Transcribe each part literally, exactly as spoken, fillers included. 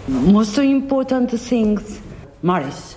Most important things, Maris.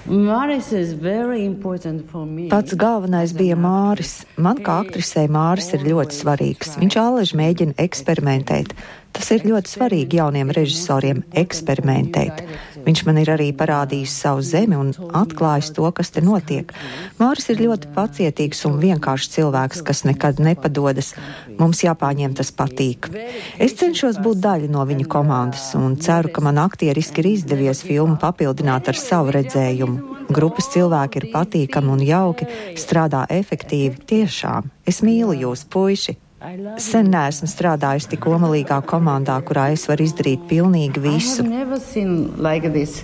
Maris is very important for me. Pats galvenais bija Māris. Man kā aktrisei Māris ir ļoti svarīgs. Viņš allaž mēģina eksperimentēt. Tas ir ļoti svarīgi jauniem režisoriem eksperimentēt. Viņš man ir arī parādījis savu zemi un atklājis to, kas te notiek. Māris ir ļoti pacietīgs un vienkāršs cilvēks, kas nekad nepadodas. Mums jāpāņem tas patīk. Es cenšos būt daļa no viņa komandas un ceru, ka man aktieriski ir izdevies filmu papildināt ar savu redzējumu. Grupas cilvēki ir patīkami un jauki, strādā efektīvi, tiešām. Es mīlu jūs, puiši! Sen neesmu strādājusi tik omalīgā komandā, kurā es varu izdarīt pilnīgi visu. I have never seen like this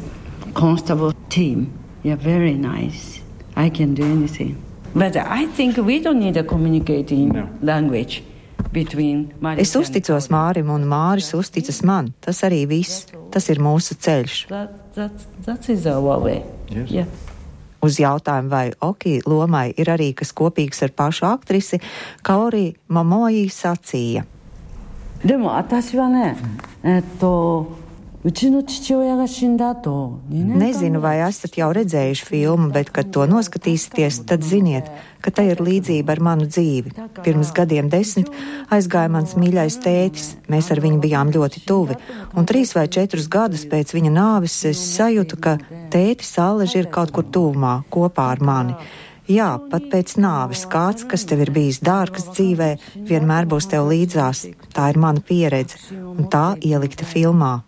constable team. Yeah, very nice. I can do anything. But I think we don't need a communicating no. language between Maris. Es uzticos Mārim un Māris uzticas man. Tas arī viss. Tas ir mūsu ceļš. That, that, that is our way. Yes. Yeah. Uz jautājumu, vai Oki lomai ir arī kas kopīgs ar pašu aktrisi, Kaori Momoji sacīja. Demo, atashi wa ne, etto, uchi no chichiouya ga shinda ato. Nezinu, vai esat jau redzējuši filmu, bet, kad to noskatīsieties, tad ziniet, ka te ir līdzība ar manu dzīvi. Pirms gadiem desmit aizgāja mans mīļais tētis, mēs ar viņu bijām ļoti tuvi, un trīs vai četrus gadus pēc viņa nāves es sajūtu, ka tētis Alleži ir kaut kur tuvumā, kopā ar mani. Jā, pat pēc nāves kāds, kas tev ir bijis dārgs dzīvē, vienmēr būs tev līdzās. Tā ir mana pieredze, un tā ielikta filmā.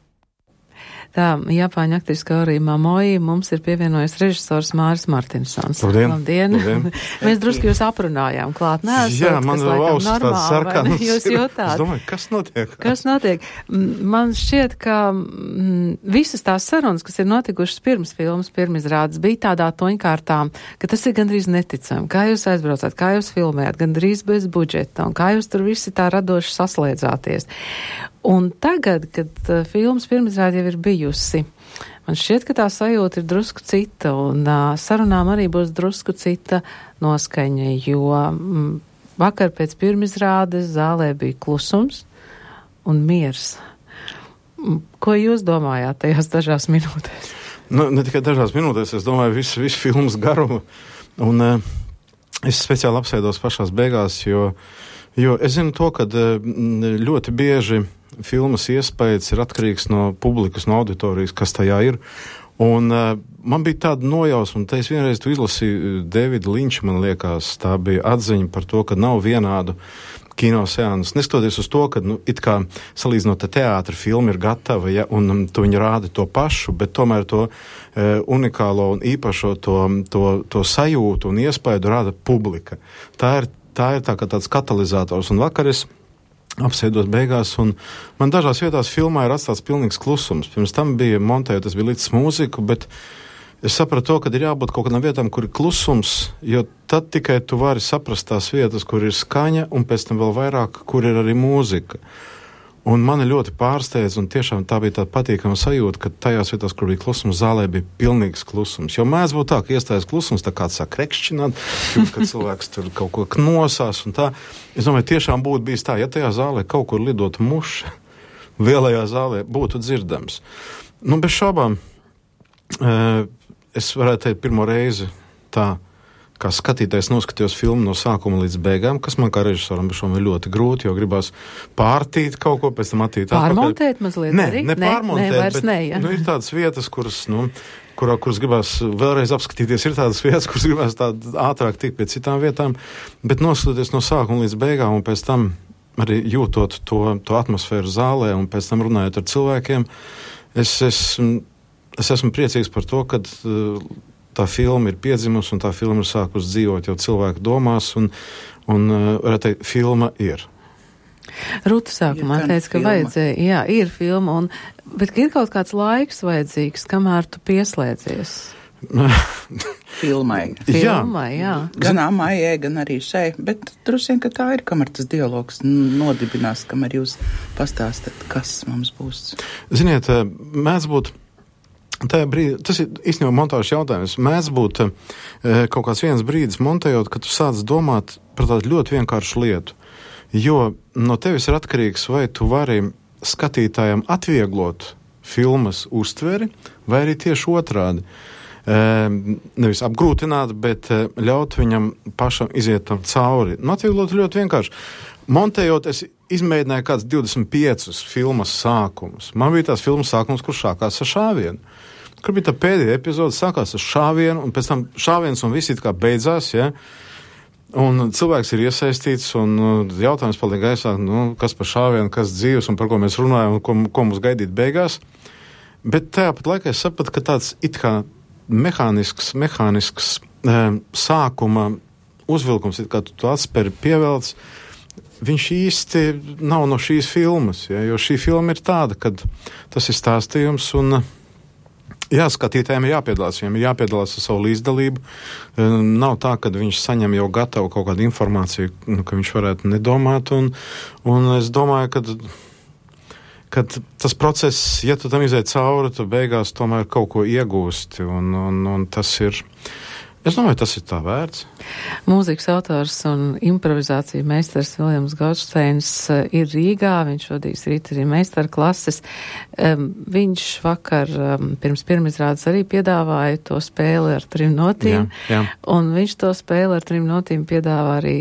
Tā, Japāņu aktrise Kaori Momoji, mums ir pievienojies režisors Māris Martinsons. Labdien! Labdien. Labdien. Mēs drusku jūs aprunājām klāt. Neesot, Jā, man kas vēl ausis tāds sarkanas. Jūs jūtāt. Es domāju, kas notiek? Kas notiek? Man šķiet, ka m, visas tās sarunas, kas ir notikušas pirms filmas, pirmizrādes, bija tādā toņkārtā, ka tas ir gandrīz neticami. Kā jūs aizbraucāt, kā jūs filmējat, gandrīz bez budžeta, un kā jūs tur visi tā radoši saslēdzāties. Un tagad, kad uh, filmas pirmizrāde jau ir bijusi, man šķiet, ka tā sajūta ir drusku cita, un uh, sarunām arī būs drusku cita noskaņa, jo mm, vakar pēc pirmizrādes zālē bija klusums un miers. Ko jūs domājāt tajās dažās minūtēs? Nu, ne tikai dažās minūtēs, es domāju visu, visu filmas garumu, un uh, es speciāli apsēdos pašās beigās, jo, jo es zinu to, ka uh, ļoti bieži filmas iespējas ir atkarīgs no publikas, no auditorijas, kas tajā ir. Un uh, man bija tāda nojausma, un te es vienreiz tu izlasīju Davida Linča, man liekas, tā bija atziņa par to, ka nav vienādu kino seansu. Neskatoties uz to, ka, nu, it kā salīdzinot teātra filma ir gatava, ja, un um, tu viņi rāda to pašu, bet tomēr to uh, unikālo un īpašo to, to, to sajūtu un iespēju rāda publika. Tā ir, tā ir tā kā tāds katalizators, un vakar es apsēdos beigās, un man dažās vietās filmā ir atstāts pilnīgs klusums. Pirms tam bija montēta, tas bija līdz mūziku, bet es sapratu to, ka ir jābūt kaut kādām vietām, kur ir klusums, jo tad tikai tu vari saprast tās vietas, kur ir skaņa, un pēc tam vēl vairāk, kur ir arī mūzika. Un mani ļoti pārsteidz, un tiešām tā bija tāda patīkama sajūta, ka tajās vietās, kur bija klusums, zālē bija pilnīgs klusums. Jo mēdz būt tā, ka iestājas klusums, tā kāds sāk rekšķināt, kad cilvēks tur kaut ko knosās un tā. Es domāju, tiešām būtu bijis tā, ja tajā zālē kaut kur lidotu muša, lielajā zālē būtu dzirdams. Nu, bez šaubām, es varētu teikt pirmo reizi tā, kā skatītājs noskatījos filmu no sākuma līdz beigām, kas man kā režisoram ir ļoti grūti, jo gribās pārtīt kaut ko, pēc tam attīt atpakaļ. Pārmontēt mazliet ne, arī? Ne, pārmontēt, ne, vairs bet ne, ja. Nu, ir tādas vietas, kuras, nu, kurā, kuras gribās vēlreiz apskatīties, ir tādas vietas, kuras gribās tā ātrāk tikt pie citām vietām, bet noskatoties no sākuma līdz beigām un pēc tam arī jūtot to, to atmosfēru zālē un pēc tam runājot ar cilvēkiem, es, es, es esmu priecīgs par to, kad tā filma ir piedzimusi un tā filma ir sākus dzīvot jau cilvēku domās un, un varētu teikt, filma ir. Rūta sākumā teica, ka vajadzēja, jā, ir filma, un, bet ir kaut kāds laiks vajadzīgs, kamēr tu pieslēdzies. Filmai. Filmai, jā. Gan Amājai, gan arī šai, bet droši vien, ka tā ir, kamēr tas dialogs nodibinās, kamēr jūs pastāstat, kas mums būs. Ziniet, mēdz būt tajā brīdī, tas ir īstenībā montāžas jautājums, mēdz būt e, kaut kāds viens brīdis montējot, ka tu sāc domāt par tādu ļoti vienkāršu lietu, jo no tevis ir atkarīgs, vai tu vari skatītājam atvieglot filmas uztveri, vai arī tieši otrādi. Nevis apgrūtināt, bet ļaut viņam pašam iziet tam cauri. Nu, atvieglot ļoti vienkārši. Montējot, es izmēģināju kāds divdesmit piecus filmas sākumus. Man bija tās filmas sākums, kur sākās ar šāvienu. Kur bija tā pēdējā epizode, sākās ar šāvienu, un pēc tam šāviens un viss it kā beidzās, ja? Un cilvēks ir iesaistīts, un jautājums paliek gaisā, nu, kas par šāvienu, kas dzīves, un par ko mēs runājam, un ko, ko mums gaidīt beigās. Bet tāpat laikā es sapratu, ka tāds it kā mehānisks, mehānisks e, sākuma uzvilkums, it kā tu to atsperi pievelc, viņš īsti nav no šīs filmas, ja, jo šī filma ir tāda, kad tas ir stāstījums, un jā, skatītājiem ir jāpiedalās, viņiem ir jāpiedalās ar savu līdzdalību. E, nav tā, ka viņš saņem jau gatavu kaut kādu informāciju, nu, ka viņš varētu nedomāt, un, un es domāju, ka kad tas process, ja tu tam iziet cauri, tu beigās tomēr kaut ko iegūsti, un, un, un tas ir, es domāju, tas ir tā vērts. Mūzikas autors un improvizācija meistars Viljams Goldsteins ir Rīgā, viņš vadīs rīt arī meistarklases. Viņš vakar pirms pirmizrādes arī piedāvāja to spēli ar trim notīm, jā, jā. Un viņš to spēli ar trim notīm piedāvā arī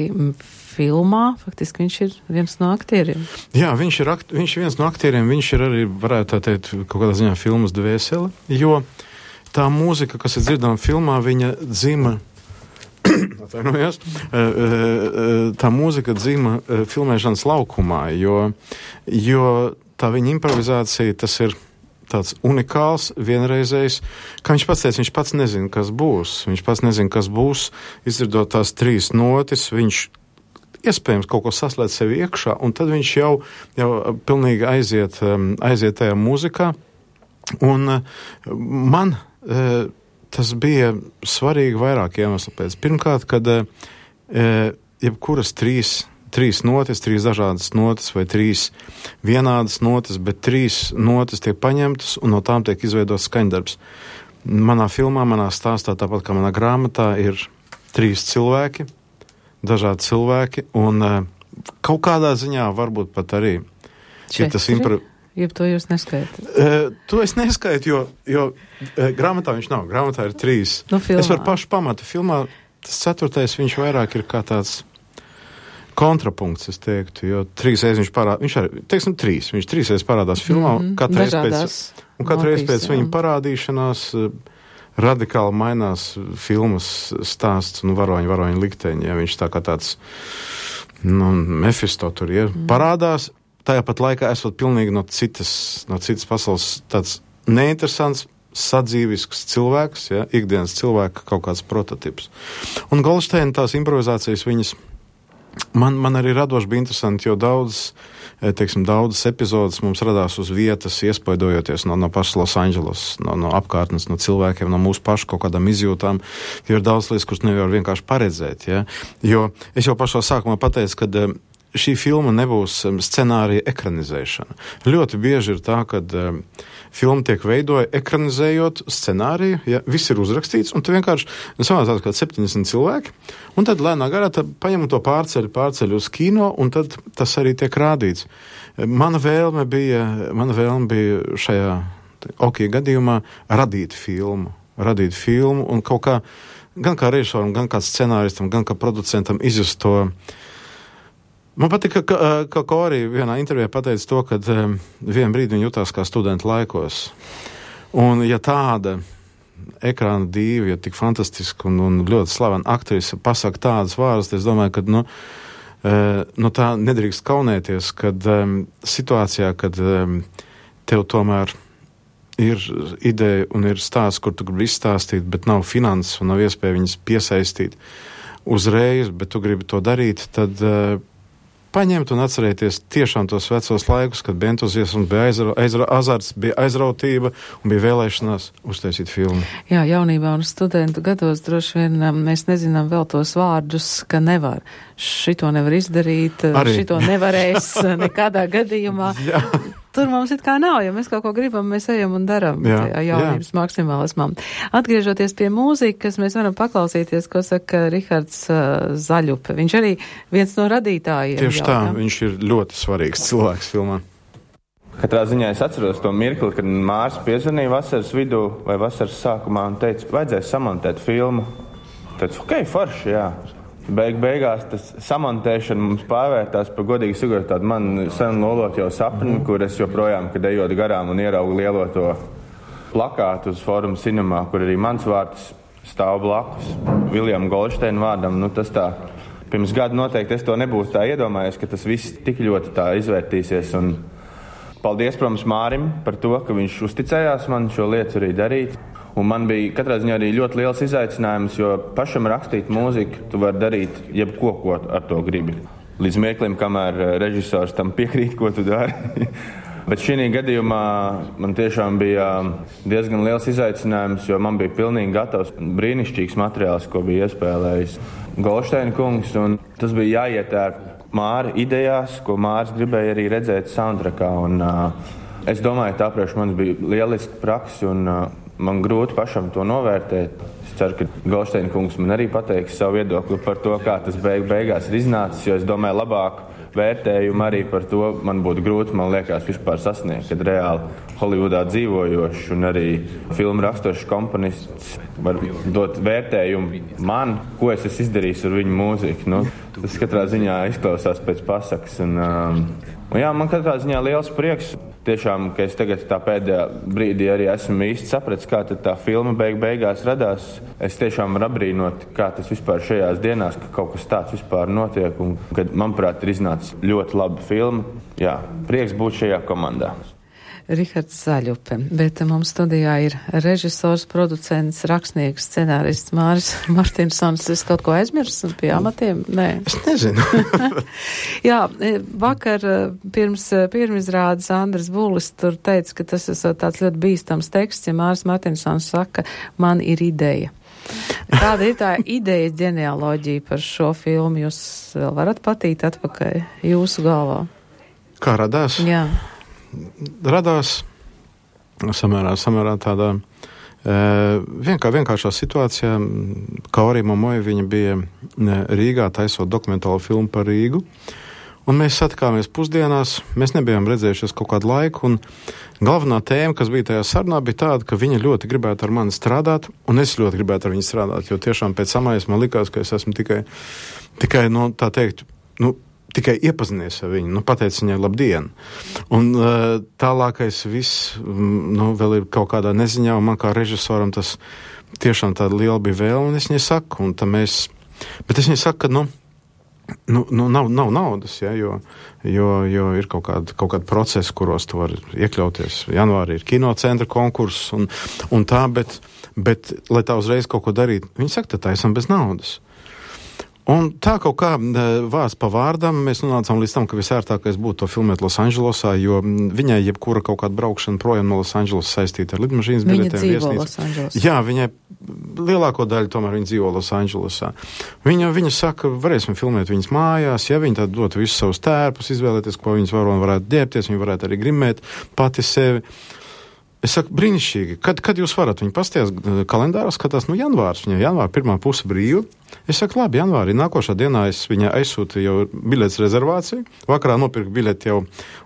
filmā, faktiski viņš ir viens no aktieriem. Jā, viņš ir, akt, viņš ir viens no aktieriem, viņš ir arī, varētu tā teikt, kaut kādā ziņā filmas dvēsele, jo tā mūzika, kas ir dzirdama filmā, viņa dzima, atvainojos, tā mūzika dzima filmēšanas laukumā, jo, jo tā viņa improvizācija, tas ir tāds unikāls, vienreizējs, kā viņš pats teica, viņš pats nezina, kas būs, viņš pats nezina, kas būs, izdzirdot tās trīs notis, viņš iespējams kaut ko saslēdz sevi iekšā, un tad viņš jau, jau pilnīgi aiziet, aiziet tajā mūzikā. Un man tas bija svarīgi vairāk iemeslu pēc. Pirmkārt, kad jebkuras trīs, trīs notis, trīs dažādas notis vai trīs vienādas notis, bet trīs notis tiek paņemtas un no tām tiek izveidots skaņdarbs. Manā filmā, manā stāstā, tāpat kā manā grāmatā, ir trīs cilvēki, dažādi cilvēki, un uh, kaut kādā ziņā varbūt pat arī ir tas impro... Jeb to jūs neskaitat? Uh, to es neskaitu, jo, jo uh, grāmatā viņš nav. Grāmatā ir trīs. Nu, es varu pašu pamatu. Filmā tas ceturtais viņš vairāk ir kā tāds kontrapunkts, es teiktu, jo trīs reiz viņš parādās, viņš arī, teiksim, trīs, viņš trīs reiz parādās filmā, mm-hmm. katru reiz pēc, un katru reiz pēc viņa parādīšanās uh, radikāli mainās filmas stāsts un varoņu, varoņu likteņi, ja viņš tā kā tāds, nu, Mefisto tur ir, mm. parādās, tajā pat laikā esot pilnīgi no citas, no citas pasaules tāds neinteresants, sadzīvisks cilvēks, ja, ikdienas cilvēka kaut kāds prototips. Un Goldsteina tās improvizācijas viņas, man, man arī radoši bija interesanti, jo daudz, teiksim, daudzas epizodes mums radās uz vietas, iespaidojoties no, no pašas Los Angeles, no, no apkārtnes, no cilvēkiem, no mūsu pašu kaut kādām izjūtām, jo ir daudz lietas, kuras nevar vienkārši paredzēt, ja? Jo es jau pašā sākumā pateicu, kad šī filma nebūs scenārija ekranizēšana. Ļoti bieži ir tā, kad um, filma tiek veidoja ekranizējot scenāriju, ja viss ir uzrakstīts, un tu vienkārši samācās kā septiņdesmit cilvēki, un tad lēnā garā paņem to pārceļu, pārceļu uz kino, un tad tas arī tiek rādīts. Mana vēlme bija, mana vēlme bija šajā okī gadījumā radīt filmu, radīt filmu, un kaut kā, gan kā režisoram, gan kā scenāristam, gan kā producentam izjust to. Man patika, ka, ka Kori vienā intervijā pateica to, ka um, vienā brīdī viņa jutās kā studenta laikos. Un ja tāda ekrāna dīva, ja tik fantastiska un, un ļoti slavena aktrise pasaka tādas vārdas, es domāju, ka nu, uh, nu tā nedrīkst kaunēties, kad um, situācijā, kad um, tev tomēr ir ideja un ir stāsts, kur tu gribi izstāstīt, bet nav finanses un nav iespēja viņas piesaistīt uzreiz, bet tu gribi to darīt, tad uh, paņemt un atcerēties tiešām tos vecos laikus, kad bija entuziasms, bija aizra, aizra, azarts, bija aizrautība un bija vēlēšanās uztaisīt filmu. Jā, jaunībā un studentu gados droši vien mēs nezinām vēl tos vārdus, ka nevar. Šito nevar izdarīt, arī. Šito nevarēs nekādā gadījumā. Jā. Tur mums it kā nav, ja mēs kaut ko gribam, mēs ejam un daram jā, tajā jaunības jā. Maksimālismā. Atgriežoties pie mūzikas, mēs varam paklausīties, ko saka Rihards uh, Zaļupe. Viņš arī viens no radītājiem. Tieši jau, tā, jā? Viņš ir ļoti svarīgs cilvēks filmā. Katrā ziņā es atceros to mirkli, kad Mārs piezvanīja vasaras vidū vai vasaras sākumā un teica, vajadzēs samontēt filmu. Teicu, ok, forši, jā. Beig beigās tas samontēšana mums pārvērtās par godīgi sakot tādu man sen lolot jau sapni, kur es joprojām, kad ejot garām un ieraugu lielo to plakātu uz Forum Cinemā, kur arī mans vārds stāv blakus Viljama Goldsteina vārdam. Nu, tas tā, pirms gada noteikti es to nebūtu tā iedomājies, ka tas viss tik ļoti tā izvērtīsies. Un paldies, protams, Mārim par to, ka viņš uzticējās man šo lietu arī darīt. Un man bija katrā ziņā arī ļoti liels izaicinājums, jo pašam rakstīt mūziku tu vari darīt jebko, ko ar to gribi. Līdz mirklim, kamēr režisors tam piekrīt, ko tu dari. Bet šī gadījumā man tiešām bija diezgan liels izaicinājums, jo man bija pilnīgi gatavs brīnišķīgs materiāls, ko bija iespēlējis Goldsteina kungs. Un tas bija jāietērp Māra idejās, ko Mārs gribēja arī redzēt soundtrackā. Un, uh, es domāju, tā priekš mums bija lieliska praksa un uh, man grūti pašam to novērtēt. Es ceru, ka Goldsteina kungs man arī pateiks savu viedokli par to, kā tas beig beigās ir iznācis, jo es domāju labāk vērtējumu arī par to man būtu grūti, man liekas, vispār sasniegt, kad reāli Holivudā dzīvojošs un arī filmu rakstošs komponists var dot vērtējumu man, ko es esmu izdarījis ar viņu mūziku. Nu, tas katrā ziņā izklausās pēc pasakas. Un, um, un jā, man katrā ziņā liels prieks. Tiešām, ka es tagad tā pēdējā brīdī arī esmu īsti sapratis, kā tad tā filma beig beigās radās. Es tiešām varu apbrīnot, kā tas vispār šajās dienās, ka kaut kas tāds vispār notiek. Un kad, manuprāt, ir iznācis ļoti laba filma. Jā, prieks būt šajā komandā. Rihards Zaļupe, bet mums studijā ir režisors, producents, rakstnieks, scenārists Māris Martinsons. Es kaut ko aizmirsu pie amatiem? Nē. Es nezinu. Jā, vakar pirms pirmizrādes Andris Bulis tur teica, ka tas ir tāds ļoti bīstams teksts, ja Māris Martinsons saka, man ir ideja. Kāda ir tā idejas ģenealoģija par šo filmu? Jūs vēl varat patīt atpakaļ jūsu galvā? Kā radās? Jā. Radās samērā, samērā tādā e, vienkā, vienkāršā situācijā. Kaori Momoja, viņa bija Rīgā taisot dokumentālu filmu par Rīgu, un mēs satikāmies pusdienās, mēs nebijām redzējušies kaut kādu laiku, un galvenā tēma, kas bija tajā sarunā, bija tāda, ka viņa ļoti gribētu ar mani strādāt, un es ļoti gribētu ar viņu strādāt, jo tiešām pēc samājas man likās, ka es esmu tikai, tikai no tā teikt, nu, tikai iepazinies ar viņu, nu, pateic viņai labdien. Un uh, tālākais viss, nu, vēl ir kaut kādā neziņā, un man kā režisoram tas tiešām tāda liela bija vēlme, un es viņai saku, un tā mēs, bet es viņai saku, ka, nu, nu, nu nav, nav naudas, ja, jo, jo, jo ir kaut kāda, kaut kāda procesa, kuros tu vari iekļauties. Janvārī ir kinocentra konkurss un, un tā, bet, bet, lai tā uzreiz kaut ko darīt, viņi saka, tā esam bez naudas. Un tā kaut kā vārds pa vārdam mēs nonācām līdz tam, ka visērtākais būtu to filmēt Losandželosā, jo viņai jebkura kaut kāda braukšana projām no Losandželosas saistīta ar lidmašīnas biļetēm. Viņa dzīvo Losandželosā. Jā, viņai lielāko daļu tomēr viņa dzīvo Losandželosā. Viņa, viņa saka, varēsim filmēt viņas mājās, ja viņa tad dot visus savus tērpus, izvēlēties, ko viņas var un varētu ģērbties, viņa varētu arī grimēt pati sevi. Es saku, brīnišķīgi, kad, kad jūs varat viņu pastījās kalendārā, skatās, nu, janvārs, viņa janvāra pirmā puse brīva. Es saku, labi, janvārī, nākošā dienā es viņai aizsūtīju jau biļetes rezervāciju, vakarā nopirku biļeti jau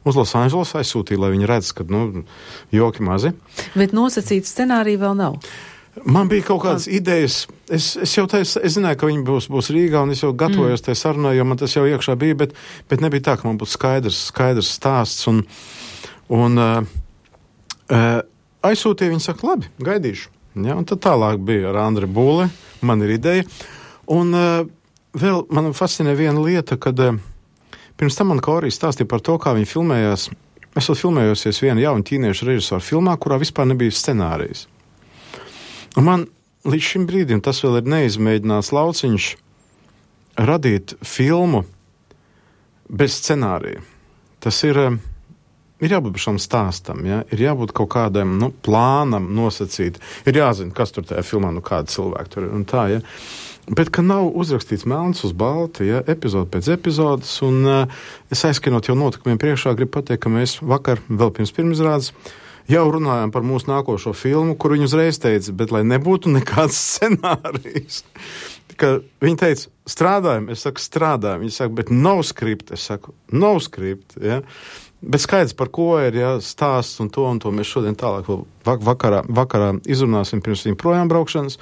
uz Losandželos, aizsūtīju, lai viņi redz, ka, nu, joki mazi. Bet nosacīts scenārija vēl nav? Man bija kaut kādas idejas, es, es jau teicu, es zināju, ka viņi būs, būs Rīgā, un es jau gatavojos mm. tajā sarunā, jo man tas jau iekšā bija, bet, bet nebija tā, ka man būtu skaidrs, skaidrs stāsts, un, un uh, Uh, aizsūtīja, viņi saka, labi, gaidīšu. Ja, un tad tālāk bija ar Andri Būli, man ir ideja. Un uh, vēl man fascinē viena lieta, kad uh, pirms tam man Kaori stāstīja par to, kā viņi filmējās. Es esmu filmējosies viena jauna ķīniešu režisoru filmā, kurā vispār nebija scenārijas. Un man līdz šim brīdim tas vēl ir neizmēģināts lauciņš radīt filmu bez scenārija. Tas ir... Uh, Ir jābūt šam stāstam, ja? Ir jābūt kaut kādam, nu, plānam nosacīt. Ir jāzina, kas tur tajā filmā, nu, kāda cilvēka tur ir un tā, ja. Bet, ka nav uzrakstīts melns uz balta, ja, epizode pēc epizodes, un uh, es aizskanot jau notikumiem priekšā, gribu pateikt, ka mēs vakar, vēl pirms pirmizrādes, jau runājām par mūsu nākošo filmu, kur viņi uzreiz teica, bet lai nebūtu nekāds scenārijs. Ka viņi teica, strādājam, es saku, strādājam. Viņi saka, bet nav skript, es saku, nav skript, ja. Bet skaidrs, par ko ir, ja, stāsts un to un to mēs šodien tālāk vakarā, vakarā izrunāsim pirms viņa projām braukšanas.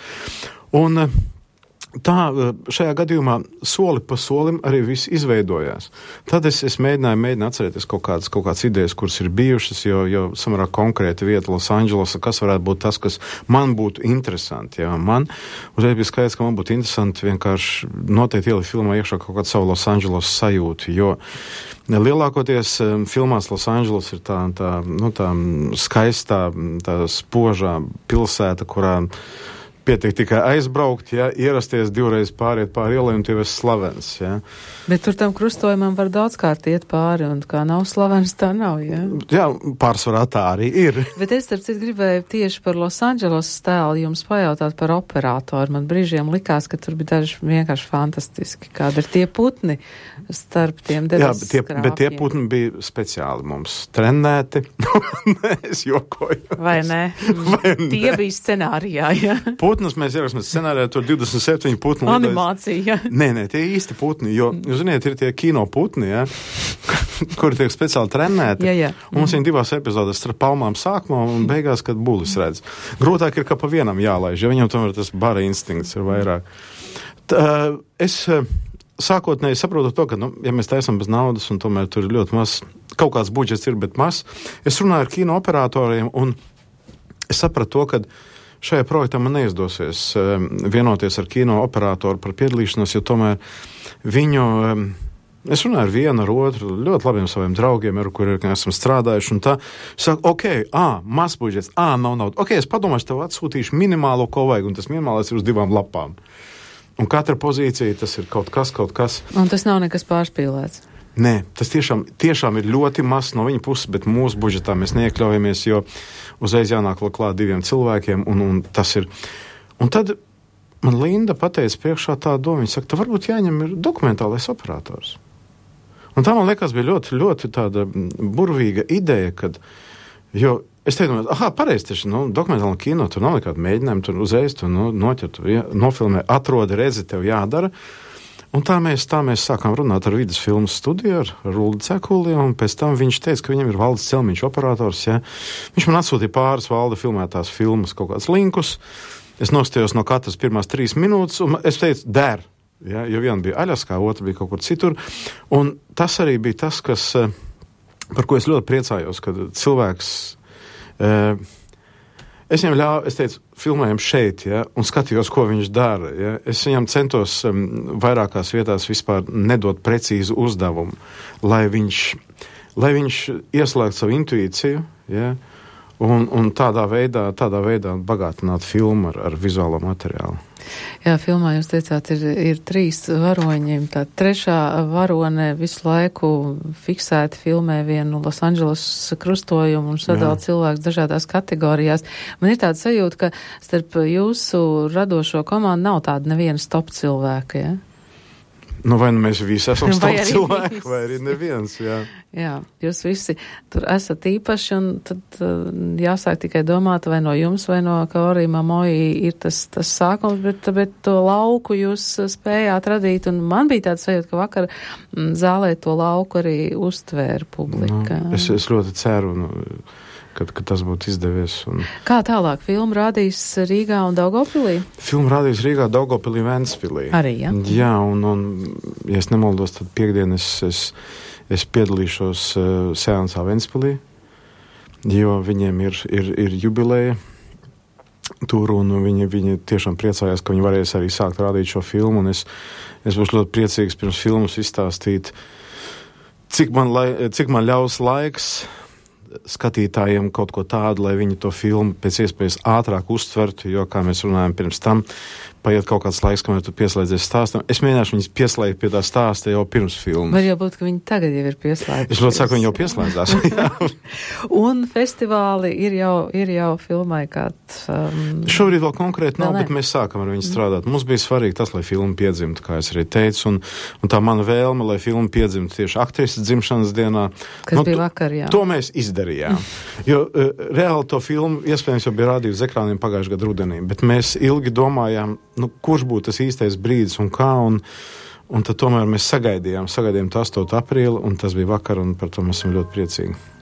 Un tā šajā gadījumā soli pa solim arī viss izveidojās. Tad es, es mēģināju, mēģināju atcerēties kaut kādas, kaut kādas idejas, kuras ir bijušas, jo, jo samērā konkrēta vieta Losandželosā, kas varētu būt tas, kas man būtu interesanti. Ja. Man uzreiz bija skaidrs, ka man būtu interesanti vienkārši noteikti ielikt filmā iekšā kaut kādu savu Losandželos sajūtu, jo lielākoties filmās Losandželos ir tā, tā, nu, tā skaistā, tā spožā pilsēta, kurā pietiek tikai aizbraukt, ja, ierasties divreiz pāriet pāri ielai un tev esi slavens, ja. Bet tur tam krustojumam var daudzkārt iet pāri, un kā nav slavens, tā nav, ja? Jā, pārsvarā tā arī ir. Bet es, starp citu, gribēju tieši par Losandželos stēlu jums pajautāt par operātoru. Man brīžiem likās, ka tur bija daži vienkārši fantastiski. Kāda ir tie putni starp tiem debesu skrāpjiem? Jā, bet tie, bet tie putni bija speciāli mums trenēti. Nē, es jokoju. Vai ne? Vai ne? Tie bija scenārijā, ja? Putnus mēs ieraksim scenārijā, tur divdesmit septiņi putni. Animācija, ja? Nē, nē, tie īsti putni, jo, jūs ziniet, ir tie kino putni, ja, kuri tiek speciāli trenēti. Jā, jā. Un mums viņi divās epizodēs starp palmām sākumā un beigās, kad bulis redz. Grūtāk ir, ka pa vienam jālaiž, jo viņam tomēr tas bara instinkts ir vairāk. Tā, es sākotnēji saprotu to, ka, nu, ja mēs taisam bez naudas un tomēr tur ir ļoti maz, kaut kāds budžets ir, bet maz, es runāju ar kino operatoriem un es sapratu to, ka šajā projektā man neizdosies vienoties ar kino operatoru par piedalīšanos, jo tomēr viņu, es runāju ar vienu, ar otru, ļoti labiem saviem draugiem, ar kuriem esam strādājuši, un tā, saka, ok, ā, maz budžets, ā, nav nauda, ok, es padomāšu, tev atsūtīšu minimālo, ko vajag, un tas minimālais ir uz divām lapām. Un katra pozīcija, tas ir kaut kas, kaut kas. Un tas nav nekas pārspīlēts. Nē, tas tiešām, tiešām ir ļoti maz no viņa puses, bet mūsu budžetā mēs neiekļaujamies, jo uzreiz jānāk klāt diviem cilvēkiem, un, un tas ir. Un tad man Linda pateica priekšā tā doma, viņa saka, tā varbūt jāņem ir dokumentālais operators. Un tā man liekas bija ļoti, ļoti tāda burvīga ideja, kad, jo es teicu, aha, pareizi, taču, nu, dokumentāla kino, tur nav nekāda mēģinājuma, tur uzreiz tu nu, noķer, tu ja, nofilmē, atrodi, redzi, tev jādara. Un tā mēs, tā mēs sākām runāt ar vidus filmu studiju, ar Ruldu Cekuli, un pēc tam viņš teica, ka viņam ir Valdis Celmiņš operators, ja. Viņš man atsūtīja pāris Valda filmētās filmas kaut kādus linkus, es nostājos no katras pirmās trīs minūtes, un es teicu, der, ja, jo viena bija Aļaskā, otra bija kaut kur citur, un tas arī bija tas, kas, par ko es ļoti priecājos, kad cilvēks, eh, es viņam ļauju, es teicu, filmējam šeit, ja, un skatījos, ko viņš dara. Ja. Es viņam centos um, vairākās vietās vispār nedot precīzu uzdevumu, lai viņš, lai viņš ieslēgtu savu intuīciju, ja, un, un tādā veidā, tādā veidā bagātinātu filmu ar, ar vizuālo materiālu. Jā, filmā jūs teicāt, ir, ir trīs varoņi. Tā trešā varone visu laiku fiksēti filmē vienu Losandželos krustojumu un sadala cilvēkus dažādās kategorijās. Man ir tāda sajūta, ka starp jūsu radošo komandu nav tāda neviena stop cilvēka, ja? Nu, vai nu mēs visi esam stop cilvēki, vai arī neviens, jā. Jā, jūs visi tur esat īpaši, un tad uh, jāsāk tikai domāt, vai no jums, vai no Kaori Momoji ir tas, tas sākums, bet, bet to lauku jūs spējāt radīt, un man bija tāds sajūta, ka vakar m, zālē to lauku arī uztvēra publika. Nu, es, es ļoti ceru, nu, kad, kad tas būtu izdevies. Un... Kā tālāk? Filmu rādīs Rīgā un Daugavpilī? Filmu rādīs Rīgā, Daugavpilī, Ventspilī. Arī, ja? Jā, un, un ja es nemaldos, tad piekdien es, es, es piedalīšos uh, seansā Ventspilī, jo viņiem ir, ir, ir jubileja tur, un viņi, viņi tiešām priecājās, ka viņi varēs arī sākt rādīt šo filmu, un es, es būšu ļoti priecīgs pirms filmas izstāstīt, cik man, lai, cik man ļaus laiks skatītājiem kaut ko tādu, lai viņi to filmu pēc iespējas ātrāk uztvertu, jo, kā mēs runājam pirms tam, paiet kaut kāds laiks, kamēr tu pieslēdzies stāstam. Es mēģināšu viņus pieslēgt pie tā stāsta jau pirms filmas. Var jau būt, ka viņi tagad jau ir pieslēgti. Es ļoti saku, viņi jau pieslēdzās. Un festivāli ir jau, ir jau filmai kāds... Um, Šobrīd vēl konkrēti nav, vēl bet mēs sākam ar viņu strādāt. Mums bija svarīgi tas, lai filma piedzimtu, kā es arī teicu, un, un tā mana vēlme, lai filma piedzimtu tieši aktrises dzimšanas dienā. Kas nu, bija vakar, jā. To mēs izdarījām. Jo uh, reāli to filmu iespējams jau bija rādījusi uz ekrāniem pagājušajā gadu rudenī, bet mēs ilgi domājām, nu, kurš būtu tas īstais brīdis un kā, un, Un tad tomēr mēs sagaidījām, sagaidījām to astoto aprīli, un tas bija vakar, un par to mēs esam ļoti priecīgi.